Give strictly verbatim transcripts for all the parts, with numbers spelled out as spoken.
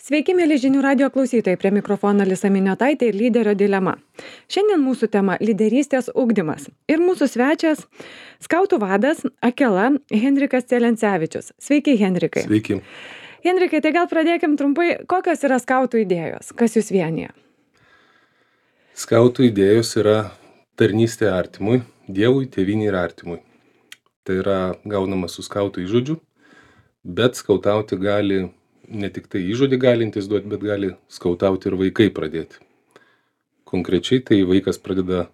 Sveiki, mėly žinių radio klausytojai, prie mikrofono Alisa Miniotaitė ir lyderio dilema. Šiandien mūsų tema – lyderystės ugdymas. Ir mūsų svečias – skautų vadas Akela Henrikas Celencevičius. Sveiki, Henrikai. Sveiki. Henrikai, tai gal pradėkim trumpai, kokios yra skautų idėjos, kas jūs vienyje? Skautų idėjos yra tarnystė artimui, Dievui, tėvynei ir artimui. Tai yra gaunama su skautų įžodžiu, bet skautauti gali ne tik tai įžodį galintys duoti, bet gali skautauti ir vaikai pradėti. Konkrečiai tai vaikas pradeda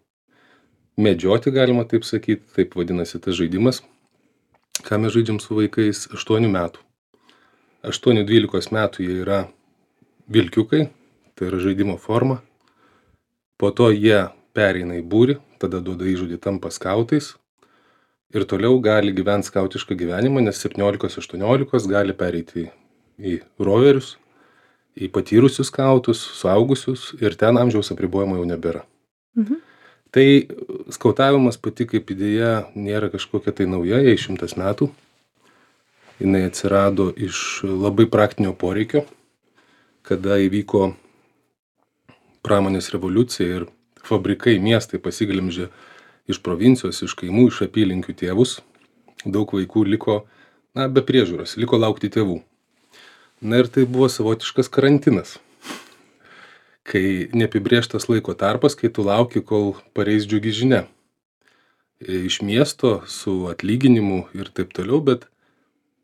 medžioti, galima taip sakyti, taip vadinasi tas žaidimas, ką mes žaidžiam su vaikais aštuonių metų. aštuonių dvylikos metų jie yra vilkiukai, tai yra žaidimo forma. Po to jie pereina į būrį, tada duoda įžodį, tampa skautais ir toliau gali gyventi skautišką gyvenimą, nes septyniolikos aštuoniolikos gali pereiti į roverius, į patyrusius skautus, suaugusius ir ten amžiaus apribojimo jau nebėra. Mhm. Tai skautavimas pati kaip idėja nėra kažkokia tai nauja, jai šimtas metų. Jinai atsirado iš labai praktinio poreikio, kada įvyko pramonės revoliucija ir fabrikai, miestai pasiglemžė iš provincijos, iš kaimų, iš apylinkių tėvus. Daug vaikų liko, na, be priežiūros, liko laukti tėvų. Na ir tai buvo savotiškas karantinas, kai neapibrėžtas laiko tarpas, kai tu lauki, kol pareis džiugi žinia. Iš miesto su atlyginimu ir taip toliau, bet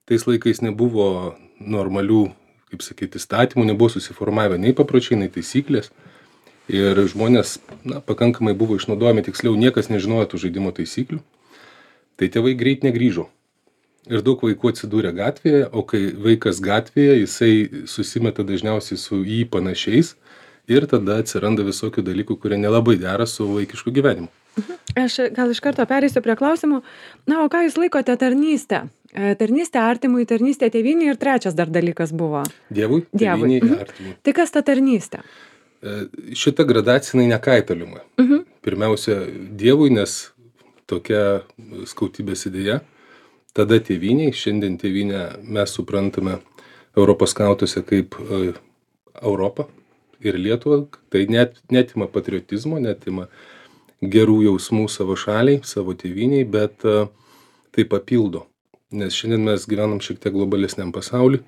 tais laikais nebuvo normalių, kaip sakyti, įstatymų, nebuvo susiformavę nei papročiai, nei taisyklės. Ir žmonės, na, pakankamai buvo išnaudojami, tiksliau niekas nežinojo tų žaidimo taisyklių. Tai tėvai greit negrįžo. Ir daug vaikų atsidūrė gatvėje, o kai vaikas gatvėje, jisai susimeta dažniausiai su jį panašiais ir tada atsiranda visokių dalykų, kurie nelabai dera su vaikišku gyvenimu. Mhm. Aš gal iš karto pereisiu prie klausimų. Na, o ką jūs laikote tarnystę? Tarnystė artimui, tarnystė tėvynei ir trečias dar dalykas buvo. Dievui, tėvynei ir artimui. Tai kas ta tarnystė? Šita gradacija nekaitaliuma. Mhm. Pirmiausia, Dievui, nes tokia skautybės idėja. Tada tėvyniai, šiandien tėvynę mes suprantame Europos skautuose kaip e, Europą ir Lietuvą. Tai net, netima patriotizmo, netima gerų jausmų savo šaliai, savo tėvyniai, bet e, tai papildo. Nes šiandien mes gyvenam šiek tiek globalesniam pasauliu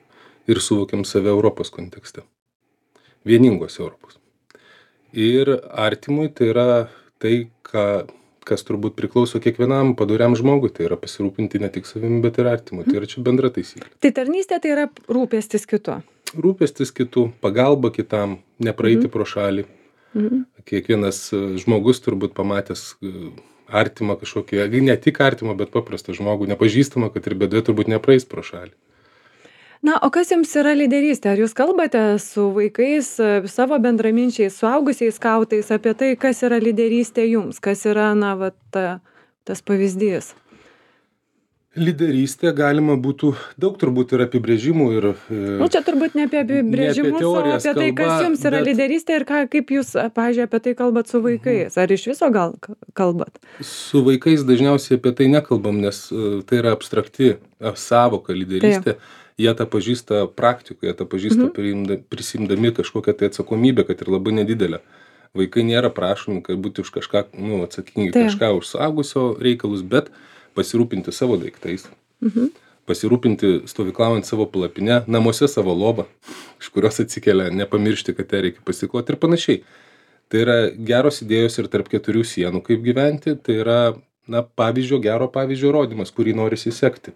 ir suvokiam save Europos kontekste. Vieningos Europos. Ir artimui tai yra tai, ką... kas turbūt priklauso kiekvienam padoriam žmogui, tai yra pasirūpinti ne tik savimi, bet ir artimu. Tai yra čia bendra taisyklė. Tai tarnystė tai yra rūpestis kitu. Rūpestis kitu, pagalba kitam, nepraeiti mhm. pro šalį. Mhm. Kiekvienas žmogus turbūt pamatęs artimą kažkokį, ne tik artimą, bet paprastą žmogų, nepažįstamą, kad ir bėdoje turbūt nepraeis pro šalį. Na, o kas jums yra lyderystė? Ar jūs kalbate su vaikais, savo bendraminčiais, suaugusiais skautais apie tai, kas yra lyderystė jums? Kas yra, na, va, ta, tas pavyzdys? Lyderystė galima būtų, daug turbūt yra apibrėžimų ir... Nu, čia turbūt ne apie apibrėžimus, o apie tai, kalba, kas jums yra bet... lyderystė ir ką, kaip jūs, pavyzdžiui, apie tai kalbat su vaikais. Ar iš viso gal kalbat? Su vaikais dažniausiai apie tai nekalbam, nes tai yra abstrakti sąvoka lyderystė. Taip. Jie tą pažįsta praktikoje, jie tą pažįsta mhm. prisimdami kažkokią tai atsakomybę, kad ir labai nedidelę. Vaikai nėra prašomi, kad būti už kažką, nu, atsakingi Taip. kažką už suaugusio reikalus, bet pasirūpinti savo daiktais, mhm. pasirūpinti stovyklaujant savo palapinę, namuose savo lovą, iš kurios atsikelia, nepamiršti, kad ją reikia pasikloti ir panašiai. Tai yra geros idėjos ir tarp keturių sienų, kaip gyventi, tai yra, na, pavyzdžio, gero pavyzdžio rodymas, kurį norisi sekti.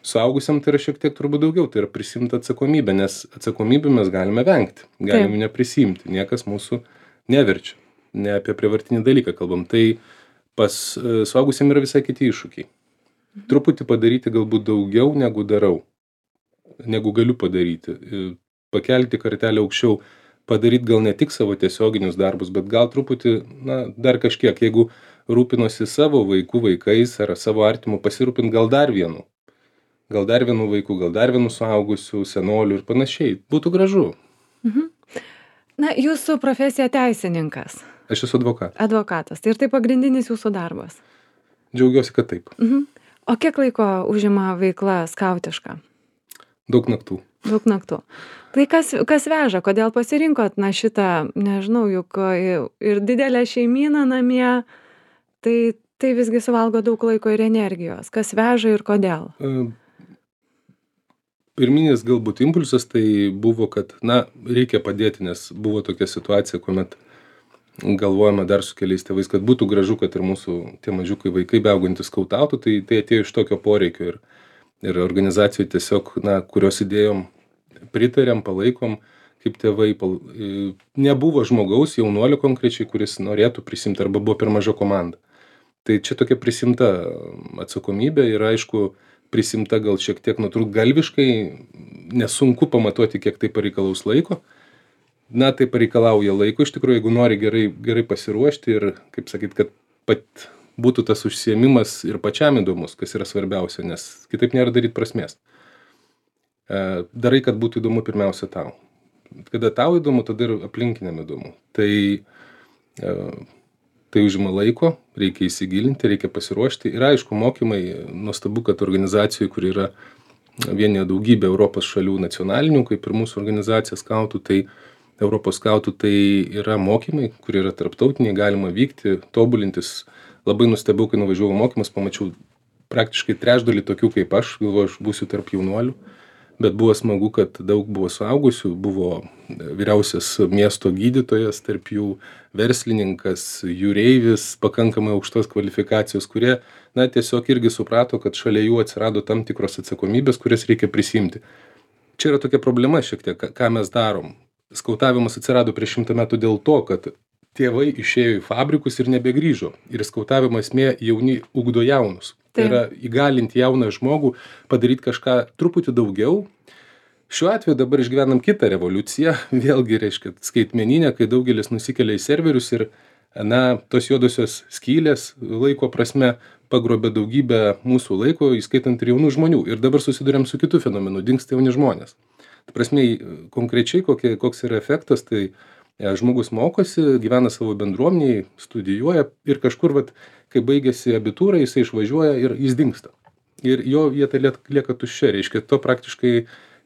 Suaugusiam tai yra šiek tiek turbūt daugiau, tai yra prisimti atsakomybę, nes atsakomybę mes galime vengti, galime Taip. neprisimti, niekas mūsų neverčia, ne apie prievartinį dalyką kalbam. Tai pas suaugusiam yra visai kiti iššūkiai. Truputį padaryti galbūt daugiau negu darau, negu galiu padaryti, pakelti kartelę aukščiau, padaryti gal ne tik savo tiesioginius darbus, bet gal truputį, na, dar kažkiek, jeigu rūpinosi savo vaikų vaikais ar savo artimų, pasirūpinti gal dar vienu. Gal dar vienų vaikų, gal dar vienų suaugusių, senolių ir panašiai. Būtų gražu. Mhm. Na, jūsų profesija teisininkas. Aš esu advokatas. Advokatas. Tai ir tai pagrindinis jūsų darbas. Džiaugiuosi, kad taip. Mhm. O kiek laiko užima veikla skautiška? Daug naktų. Daug naktų. Tai kas, kas veža, kodėl pasirinkot, na šitą, nežinau, juk ir didelė šeimyna namie, tai, tai visgi suvalgo daug laiko ir energijos. Kas veža ir kodėl? Pirminis galbūt impulsas tai buvo, kad, na, reikia padėti, nes buvo tokia situacija, kuomet galvojame dar su keliais tėvais, kad būtų gražu, kad ir mūsų tie mažiukai vaikai beaugantis skautautų, tai tai atėjo iš tokio poreikio ir, ir organizacijų tiesiog, na, kurios idėjom pritarėm, palaikom, kaip tėvai, pal... nebuvo žmogaus, jaunuolio konkrečiai, kuris norėtų prisimti arba buvo per maža komanda. Tai čia tokia prisimta atsakomybė ir aišku, prisimta gal šiek tiek nutrūktgalviškai, nesunku pamatuoti, kiek tai pareikalaus laiko. Na, tai pareikalauja laiko, iš tikrųjų, jeigu nori gerai, gerai pasiruošti ir, kaip sakyt, kad pat būtų tas užsiėmimas ir pačiam įdomus, kas yra svarbiausia, nes kitaip nėra daryti prasmės. Darai, kad būtų įdomu pirmiausia tau. Kada tau įdomu, tada ir aplinkiniam įdomu. Tai, tai užima laiko, reikia įsigilinti, reikia pasiruošti. Ir aišku, mokymai, nuostabu, kad organizacijų, kur yra vienyje daugybė Europos šalių nacionalinių, kaip ir mūsų organizacija skautų, tai Europos skautų, tai yra mokymai, kur yra tarptautiniai, galima vykti, tobulintis. Labai nustebau, kai nuvažiavau mokymus, pamačiau praktiškai trečdalį tokių kaip aš, galvoju, aš būsiu tarp jaunuolių. Bet buvo smagu, kad daug buvo suaugusių, buvo vyriausias miesto gydytojas, tarp jų verslininkas, jūreivis, pakankamai aukštos kvalifikacijos, kurie, na, tiesiog irgi suprato, kad šalia jų atsirado tam tikros atsakomybės, kurias reikia prisimti. Čia yra tokia problema šiek tiek, ką mes darom. Skautavimas atsirado prieš šimtą metų dėl to, kad tėvai išėjo į fabrikus ir nebegrįžo. Ir skautavimo esmė jauni ugdo jaunus. Tai yra įgalinti jauną žmogų, padaryti kažką truputį daugiau. Šiuo atveju dabar išgyvenam kitą revoliuciją, vėlgi reiškia skaitmeninę, kai daugelis nusikelia į serverius ir, na, tos juodosios skylės laiko prasme pagrobė daugybę mūsų laiko, įskaitant ir jaunų žmonių. Ir dabar susiduriam su kitu fenomenu, dingsta jauni žmonės. Tai prasme, konkrečiai kokie, koks yra efektas, tai žmogus mokosi, gyvena savo bendruomeniai, studijuoja ir kažkur, vat, kai baigėsi abitūra, jisai išvažiuoja ir jis dingsta. Ir jo vieta lieka tuščia, reiškia, to praktiškai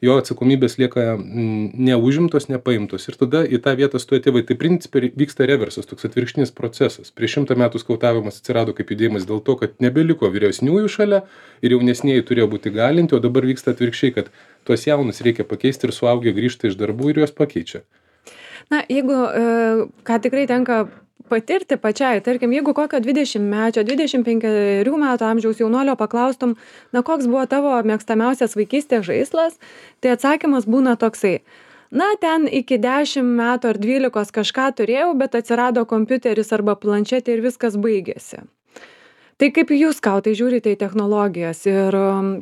jo atsakomybės lieka neužimtos, nepaimtos. Ir tada į tą vietą stoja tėvai. Tai principai vyksta reversas, toks atvirkštinis procesas. Prieš šimtą metų skautavimas atsirado kaip judėjimas dėl to, kad nebeliko vyresniųjų šalia ir jaunesnieji turėjo būti galinti, o dabar vyksta atvirkščiai, kad tuos jaunus reikia pakeisti ir suaugę grįžta iš darbų ir juos pakeičia. Na, jeigu, ką tikrai tenka patirti pačiai, tarkim, jeigu kokio dvidešimtmečio, dvidešimt penkerių metų amžiaus jaunuolio paklaustum, na, koks buvo tavo mėgstamiausias vaikystės žaislas, tai atsakymas būna toksai. Na, ten iki dešimt metų ar dvylikos kažką turėjau, bet atsirado kompiuteris arba planšetė ir viskas baigėsi. Tai kaip jūs skautai žiūrite į technologijas ir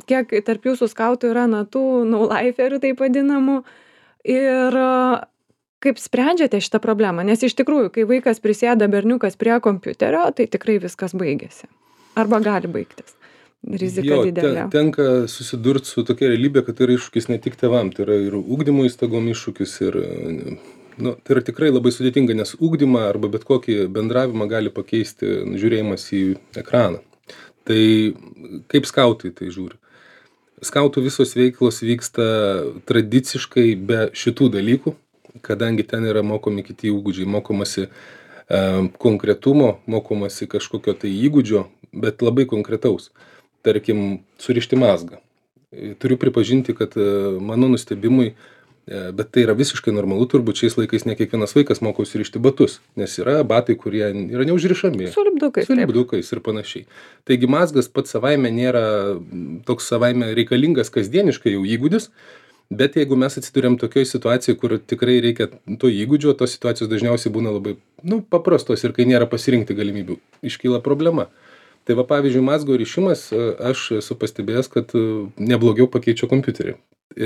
kiek tarp jūsų skautų yra, na, tų no-liferių taip vadinamų ir kaip sprendžiate šitą problemą? Nes iš tikrųjų, kai vaikas prisėda berniukas prie kompiuterio, tai tikrai viskas baigėsi. Arba gali baigtis. Rizika jo, didelė. Te, tenka susidurti su tokia realybė, kad tai yra iššūkis ne tik tėvam, tai yra ir ugdymo įstaigom iššūkis ir, nu, tai yra tikrai labai sudėtinga, nes ugdymą arba bet kokį bendravimą gali pakeisti žiūrėjimas į ekraną. Tai kaip skautai tai žiūri? Skautų visos veiklos vyksta tradiciškai be šitų dalykų, kadangi ten yra mokomi kiti įgūdžiai, mokomasi e, konkretumo, mokomasi kažkokio tai įgūdžio, bet labai konkretaus. Tarkim, surišti mazgą. Turiu pripažinti, kad e, mano nustebimui, e, bet tai yra visiškai normalu, turbūt šiais laikais ne kiekvienas vaikas moko surišti batus, nes yra batai, kurie yra neužrišami. Su lipdukais. Su lipdukais ir panašiai. Taigi mazgas pats savaime nėra toks savaime reikalingas kasdieniškai jau įgūdis, bet jeigu mes atsiduriam tokioj situacijoj, kur tikrai reikia to įgūdžio, tos situacijos dažniausiai būna labai, nu, paprastos ir kai nėra pasirinkti galimybių, iškyla problema. Tai va, pavyzdžiui, mazgo rišimas, aš esu pastebėjęs, kad neblogiau pakeičia kompiuterį.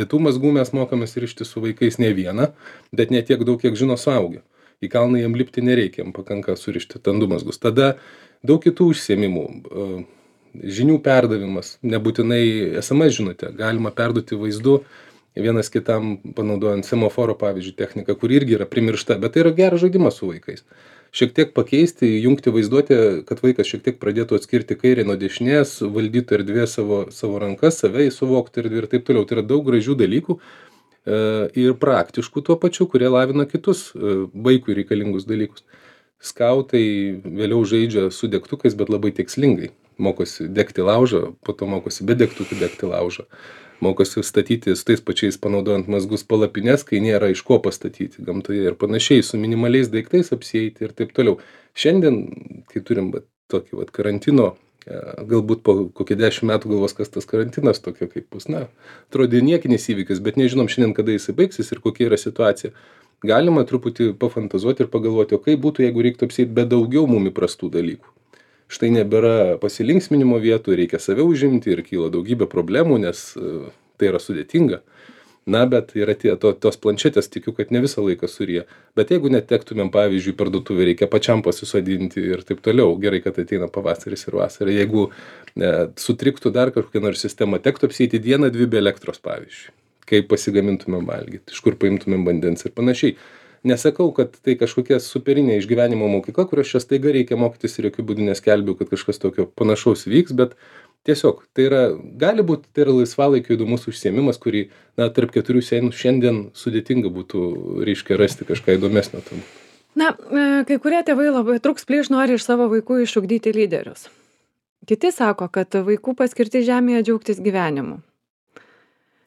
Tų mazgų mes mokomės rišti su vaikais ne vieną, bet ne tiek daug, kiek žino suaugę. Į kalną jam lipti nereikia, jam pakanka surišti ten du mazgus. Tada daug kitų užsiėmimų. Žinių perdavimas, nebūtinai es em es žinutę, galima perduoti vaizdu, vienas kitam panaudojant semaforo, pavyzdžiui, techniką, kuri irgi yra primiršta, bet tai yra geras žaidimas su vaikais. Šiek tiek pakeisti, jungti vaizduotę, kad vaikas šiek tiek pradėtų atskirti kairę nuo dešinės, valdytų erdvė savo, savo rankas, save įsuvokti erdvę ir taip toliau. Tai yra daug gražių dalykų ir praktiškų tuo pačiu, kurie lavina kitus vaikui reikalingus dalykus. Skautai vėliau žaidžia su degtukais, bet labai tikslingai. Mokosi degti laužą, po to mokosi be degtukų degti laužą. Mokosi statyti su tais pačiais panaudojant mazgus palapines, kai nėra iš ko pastatyti gamtoje ir panašiai, su minimaliais daiktais apsieiti ir taip toliau. Šiandien, kai turim va, tokį va, karantino, galbūt po kokie dešimt metų galvos, kas tas karantinas tokio kaip bus, na, atrodė niekinis įvykis, bet nežinom šiandien, kada jisai baigsis ir kokia yra situacija. Galima truputį pafantazuoti ir pagalvoti, o kaip būtų, jeigu reiktų apsieiti be daugiau mum įprastų dalykų. Štai nebėra pasilinksminimo vietų, reikia save užimti ir kyla daugybė problemų, nes tai yra sudėtinga. Na, bet yra tie, to, tos planšetės, tikiu, kad ne visą laiką suryja. Bet jeigu netektumėm, pavyzdžiui, parduotuvę, reikia pačiam pasisodinti ir taip toliau. Gerai, kad ateina pavasaris ir vasara. Jeigu ne, sutriktų dar kažkokia nors sistema, tektų apsieiti dieną, dvi be elektros, pavyzdžiui. Kaip pasigamintumėm valgyti, iš kur paimtumėm vandens ir panašiai. Nesakau, kad tai kažkokia superinė išgyvenimo mokykla, kurios čia staiga reikia mokytis ir jokių būdų neskelbiu, kad kažkas tokio panašaus vyks, bet tiesiog tai yra, gali būti, tai yra laisvalaikio įdomus užsiėmimas, kurį, na, tarp keturių sienų šiandien sudėtinga būtų, reiškia, rasti kažką įdomesnio tam. Na, kai kurie tėvai labai truks plyš nori iš savo vaikų išugdyti lyderius. Kiti sako, kad vaikų paskirti žemėje džiaugtis gyvenimu.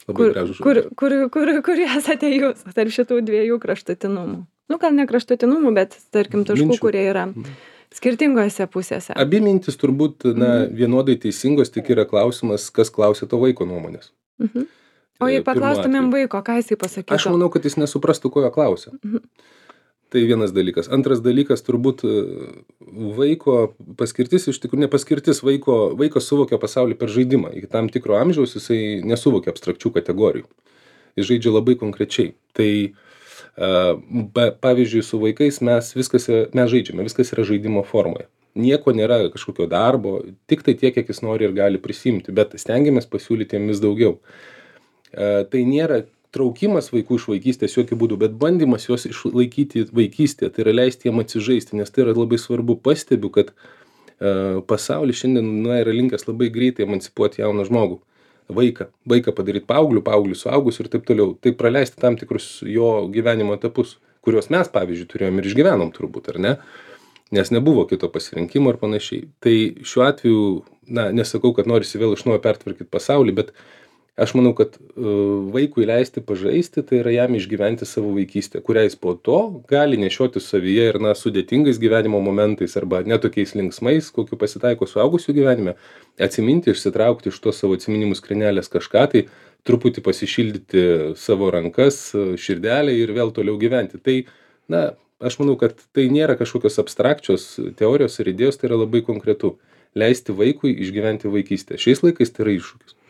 Labai gražus Kur, žodis. kur, kur, kur esate jūs tarp šitų dviejų kraštutinumų? Nu, gal ne kraštutinumų, bet, tarkim, taškų, Minčių. kurie yra skirtingose pusėse. Abi mintis turbūt, na, vienodai teisingos, tik yra klausimas, kas klausia to vaiko nuomonės. Mhm. O jei Pirmu paklaustumėm atveju. vaiko, ką jisai pasakytų? Aš manau, kad jis nesuprastų, ko jo klausia. Mhm. Tai vienas dalykas. Antras dalykas, turbūt vaiko paskirtis, iš tikrųjų nepaskirtis, vaiko, vaikas suvokia pasaulį per žaidimą. Iki tam tikro amžiaus jisai nesuvokia abstrakčių kategorijų. Jis žaidžia labai konkrečiai. Tai uh, pavyzdžiui, su vaikais mes viskas, mes žaidžiame, viskas yra žaidimo formoje. Nieko nėra kažkokio darbo, tik tai tiek, kiek jis nori ir gali prisimti, bet stengiamės pasiūlyti jam vis daugiau. Uh, tai nėra traukimas vaikų iš vaikystės jokių būdų, bet bandymas juos išlaikyti vaikystėje, tai yra leisti jiem atsižaisti, nes tai yra labai svarbu. Pastebiu, kad uh, pasaulis šiandien na, yra linkęs labai greitai emancipuoti jauną žmogų, vaiką, vaiką padaryti paauglių, paauglių suaugus ir taip toliau. Tai praleisti tam tikrus jo gyvenimo etapus, kuriuos mes, pavyzdžiui, turėjom ir išgyvenom turbūt, ar ne? Nes nebuvo kito pasirinkimo ir panašiai. Tai šiuo atveju, na, nesakau, kad norisi vėl iš naujo pertvarkyti pasaulį, bet aš manau, kad uh, vaikui leisti pažaisti, tai yra jam išgyventi savo vaikystę, kurią jis po to gali nešioti savyje ir, na, sudėtingais gyvenimo momentais arba netokiais linksmais, kokiu pasitaiko suaugusių gyvenime, atsiminti, išsitraukti iš to savo atsiminimų skrinelės kažką, tai truputį pasišildyti savo rankas, širdelę ir vėl toliau gyventi. Tai, na, aš manau, kad tai nėra kažkokios abstrakčios teorijos ir idėjos, tai yra labai konkretu. Leisti vaikui išgyventi vaikystę. Šiais laikais tai yra iššūkis.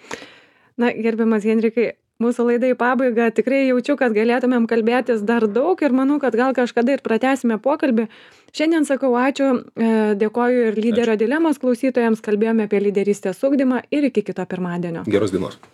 Na, gerbiamas Henrikai, mūsų laida į pabaigą, tikrai jaučiu, kad galėtumėm kalbėtis dar daug ir manau, kad gal kažkada ir pratęsime pokalbį. Šiandien sakau ačiū, dėkoju ir lyderio dilemos klausytojams, kalbėjome apie lyderystės ugdymą ir iki kito pirmadienio. Geros dienos.